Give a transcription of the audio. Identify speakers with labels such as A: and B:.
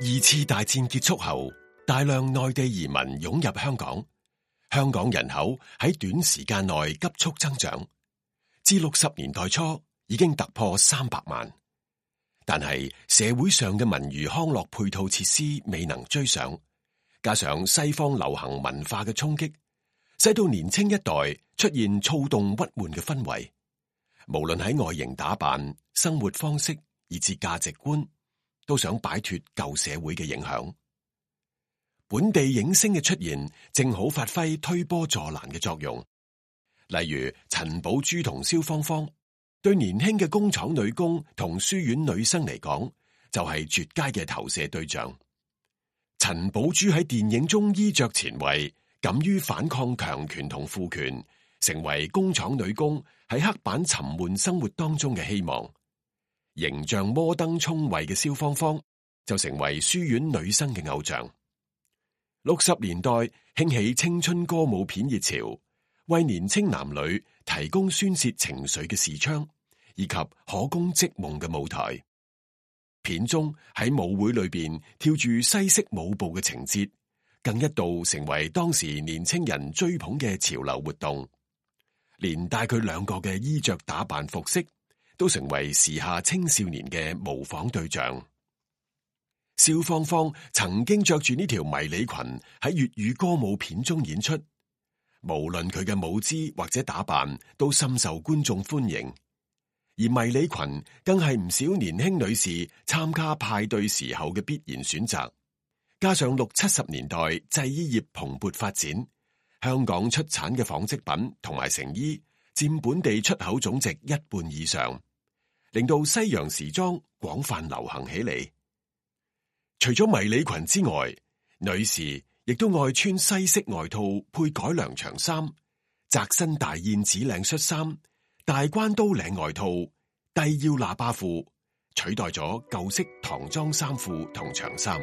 A: 二次大戰結束後，大量內地移民湧入香港，香港人口喺短時間內急速增長，至60年代初已經突破300萬。但係社會上嘅文娛康樂配套設施未能追上，加上西方流行文化嘅衝擊，使到年輕一代出現躁動鬱悶嘅氛圍。無論喺外形打扮、生活方式以至價值觀，都想擺脫舊社會嘅影響。本地影星嘅出現，正好發揮推波助瀾嘅作用。例如陳寶珠同蕭芳芳，對年輕嘅工廠女工同書院女生嚟講，就係絕佳嘅投射對象。陳寶珠喺電影中衣着前衛，敢於反抗強權同父權，成為工廠女工喺黑板沉悶生活當中嘅希望。形象摩登聰慧嘅蕭芳芳就成為書院女生嘅偶像。60年代興起青春歌舞片熱潮，為年輕男女提供宣洩情緒嘅視窗，以及可供織夢嘅舞台。片中喺舞會裏邊跳住西式舞步嘅情節，更一度成為當時年輕人追捧嘅潮流活動。連帶佢兩個嘅衣着打扮服飾，都成為時下青少年嘅模仿對象。蕭芳芳曾經着住呢條迷你裙喺粵語歌舞片中演出，無論佢嘅舞姿或者打扮都深受觀眾歡迎。而迷你裙更係唔少年輕女士參加派對時候嘅必然選擇。加上60、70年代製衣業蓬勃發展，香港出產嘅紡織品同埋成衣佔本地出口總值1半以上，令到西洋時裝廣泛流行起嚟。除咗迷你裙之外，女士亦都愛穿西式外套配改良長衫、窄身大燕子領恤衫、大關刀領外套、低腰喇叭褲，取代咗舊式唐裝衫褲同長衫。